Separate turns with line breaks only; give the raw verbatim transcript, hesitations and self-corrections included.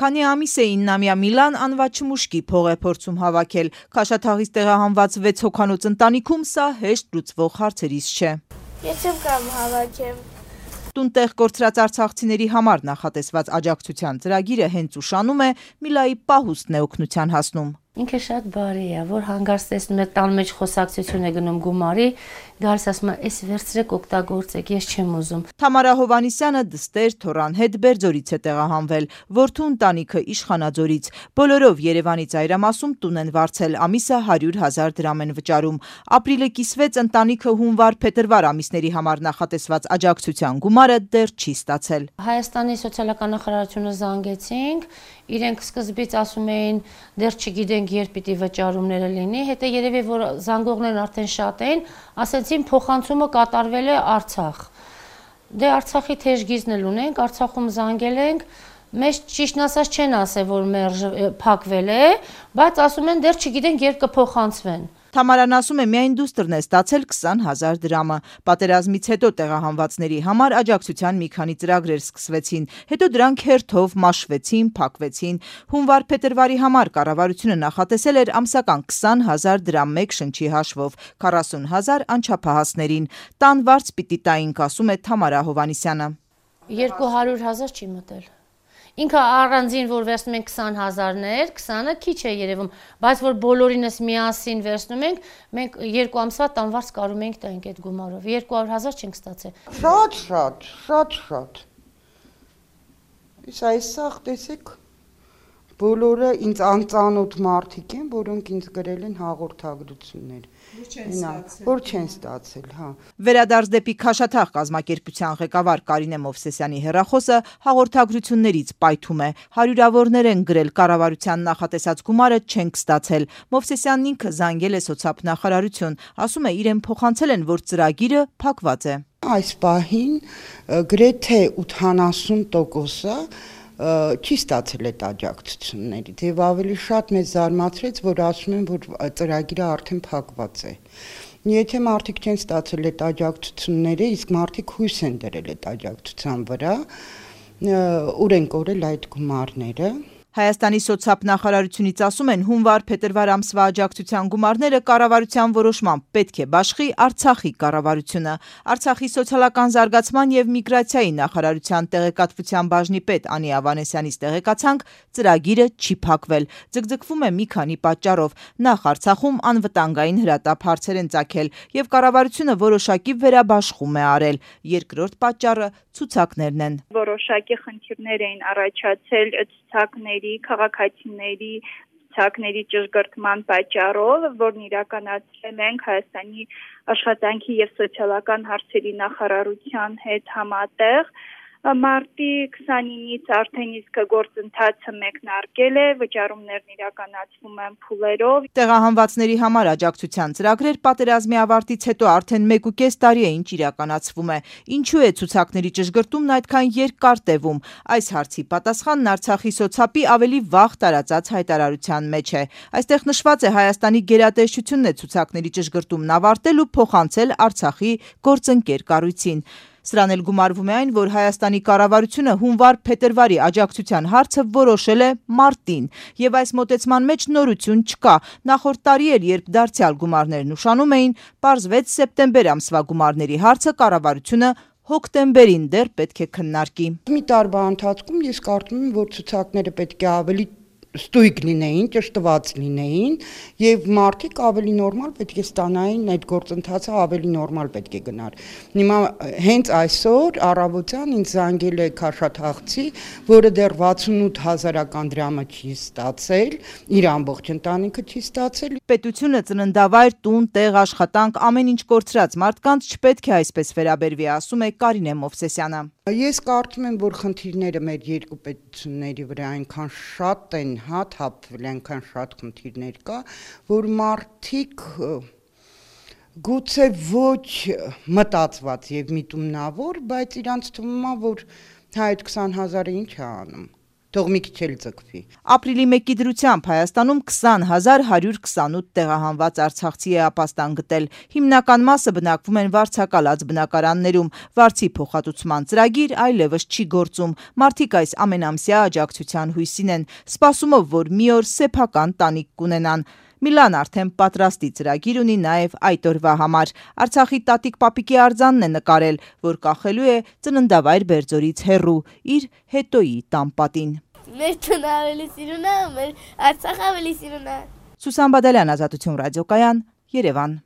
Քանի ամիս է իննամյա Միլան անվաճ չմուշկի փող է փորձում հավաքել։ Քաշաթաղից տեղահանված վեց հոգանոց ընտանիքում սա հեշտ լուծվող հարցերից չէ։
Ես չեմ կամ հավաքեմ։
Տունտեղ կորցրած արցախցիների համար նախատեսված աջակցության ծրագիրը հենց ուշանում է, Միլայի պահուստն է օգնության հասնում։
Ինքը շատ բարի է, որ հանգարց տեսնում եք տան մեջ խոսակցություն է գնում գումարի, գալիս ասում է, «Էս վերցրեք օգտագործեք, ես չեմ ուզում»։
Թամարա Հովհաննիսյանը դստեր թոռան հետ Բերձորից է տեղահանվել, որդու ընտանիքը Իշխանաձորից։ Բոլորով Երևանի ծայրամասում տուն են վարձել, ամիսը հարյուր հազար դրամ են վճարում։ Ապրիլը կիսվեց, ընտանիքը հունվար-փետրվար ամիսների համար նախատեսված աջակցության գումարը դեռ չի ստացել։
Հայաստանի սոցիալական նախարարությունը զանգեցինք, իրենք սկզբից ասում էին, դեռ չգիտենք երբ պիտի վճարումները լինի, հետո երևի որ զանգողներն արդեն շատ էին, ասեցին փոխանցումը կատարվել է Արցախ։ Դե Արցախի թեժ գիզն էլ ունենք, Արցախում զանգել ենք, մեզ ճիշտն ասած չեն ասել, որ մերժ փակվել է, բայց ասում են դեռ չգիտենք երբ կփոխանցվեն։
Թամարան ասում է, միայն դուստրն է ստացել քսան հազար դրամը։ Պատերազմից հետո տեղահանվածների համար աջակցության մի քանի ծրագրեր սկսվեցին, հետո դրանք հերթով մաշվեցին, փակվեցին։ Հունվար-փետրվարի համար կառավարությունը նախատեսել էր ամսական քսան հազար դրամ մեկ շնչի հաշվով, քառասուն հազար անչափահասներին։ Տան վարձ պիտի տայինք, ասում է Թամարա Հովհաննիսյանը։
երկու հարյուր հազար չի մտել։ Ինքը առանձին որ վերցնում ենք քսան հազարներ, քսանը քիչ է երևում, բայց որ բոլորինս միասին վերցնում ենք, մենք երկու ամսվա տանվարձ կարում ենք տանք այդ գումարով, երկու հարյուր հազար չենք ստացել։
Շատ շատ, շատ շատ։ Իսկ այսօր տեսեք, բոլորը ինձ անծանոթ մարդիկ են, որոնք ինձ գրել են հաղորդագրություններ, որ չեն ստացել, հա։
Վերադարձ դեպի Քաշաթաղ կազմակերպության ղեկավար Կարինե Մովսեսյանի հեռախոսը հաղորդագրություններից պայթում է։ Հարյուրավորներ են գրել, կառավարության նախատեսած գումարը չենք ստացել։ Մովսեսյանն ինքը զանգել է սոցիալնախարարություն, ասում է իրեն փոխանցել են, որ ծրագիրը փակված է։
Այս պահին գրեթե ութանասուն տոկոսը չի ստացել այդ աջակցություններից եւ ավելի շատ մեզ զարմացրեց, որ ասում են, որ ծրագիրը արդեն փակված է։ Եթե մարդիկ չեն ստացել այդ աջակցությունները, իսկ մարդիկ հույս են դրել այդ աջակցության վրա, ուր են կորել այդ գումարները։
Հայաստանի սոցիալնախարարությունից ասում են, հունվար-փետրվար ամսվա աջակցության գումարները կառավարության որոշմամբ պետք է բաշխի Արցախի կառավարությունը։ Արցախի սոցիալական զարգացման եւ միգրացիայի նախարարության տեղեկատվության բաժնի պետ Անի Ավանեսյանից տեղեկացանք, ծրագիրը չի փակվել։ Ձգձգվում է մի քանի պատճառով։ Նախ Արցախում անվտանգային հրատապ հարցեր են ծագել եւ կառավարությունը որոշակի վերաբաշխում է արել։ Երկրորդ պատճառը ցուցակներն են։
Որոշակի խնդիրներ էին առաջացել ցուցակների, քաղաքացիների ցուցակների ճշգրտման պատճառով, որն իրականացրել ենք Հայաստանի աշխատանքի եւ սոցիալական հարցերի նախարարության հետ համատեղ։ Մարտի քսանինից արդեն իսկ գործընթացը մեկնարկել է, վճարումներն իրականացվում են փուլերով։
Տեղահանվածների համար աջակցության ծրագրեր պատերազմի ավարտից հետո արդեն մեկ ու կես տարի է ինչ իրականացվում է։ Ինչու է ցուցակների ճշգրտումն այդքան երկար տևում։ Այս հարցի պատասխանն Արցախի սոցապի ավելի վաղ տարածած հայտարարության մեջ է։ Այստեղ նշված է Հայաստանի գերատեսչությունն է ցուցակների ճշգրտումն ավարտել ու փոխանցել Արցախի գործընկեր կառույցին։ Սրան էլ գումարվում է այն, որ Հայաստանի կառավարությունը հունվար-փետրվարի աջակցության հարցը որոշել է մարտին, եւ այս մոտեցման մեջ նորություն չկա։ Նախորդ տարի էլ, երբ դարձյալ գումարներն ուշանում էին, պարզվեց սեպտեմբեր ամսվա գումարների հարցը կառավարությունը հոկտեմբերին դեռ պետք է քննարկի։
Մի տարվա ընթացքում ես կարծում եմ, որ ցուցակները պետք է ավելի ստույգ լինեին, ճշտված լինեին եւ մարդիկ ավելի նորմալ պետք է ստանային, այդ գործընթացը ավելի նորմալ պետք է գնար։ Հիմա հենց այսօր առավոտյան ինձ զանգել է Քաշաթաղցի, որը դեռ վաթսունութ հազարական դրամը չի ստացել, իր ամբողջ ընտանիքը չի ստացել։
Պետությունը ծննդավայր, տուն, տեղ, աշխատանք, ամեն ինչ կորցրած մարդկանց չպետք է այսպես վերաբերվի, ասում է Կարինե Մովսեսյանը։
Ես կարծում եմ, որ խնդիրները մեր երկու պետությունների վրա այնքան շատ են, հա, թափվել, այնքան շատ խնդիրներ կա, որ մարդիկ գուցե ոչ մտածված եւ միտումնավոր, բայց իրանց թվում է, որ հա այդ քսան հազարը ինչ է անում։ թող մի քիչ էլ ձգվի։
Ապրիլի մեկի դրությամբ Հայաստանում քսան հազար հարյուր քսանութ տեղահանված արցախցի է ապաստան գտել։ Հիմնական մասը բնակվում են վարձակալած բնակարաններում։ Վարձի փոխհատուցման ծրագիր այլևս չի գործում։ Մարդիկ այս ամենամսյա աջակցության հույսին են, սպասումով, որ մի օր սեփական տանիք կունենան։ Միլան արդեն պատրաստի ծրագիր ունի նաև այդ օրվա համար։ Արցախի տատիկ-պապիկի արձանն է նկարել, որ կախելու է ծննդավայր Բերձորից հեռու իր հետոյի տան պատին։
Մեր տունը ավելի սիրուն է, մեր Արցախը ավելի սիրուն է։
Սուսան Բադալյան, Ազատություն ռադիոկայան, Երևան։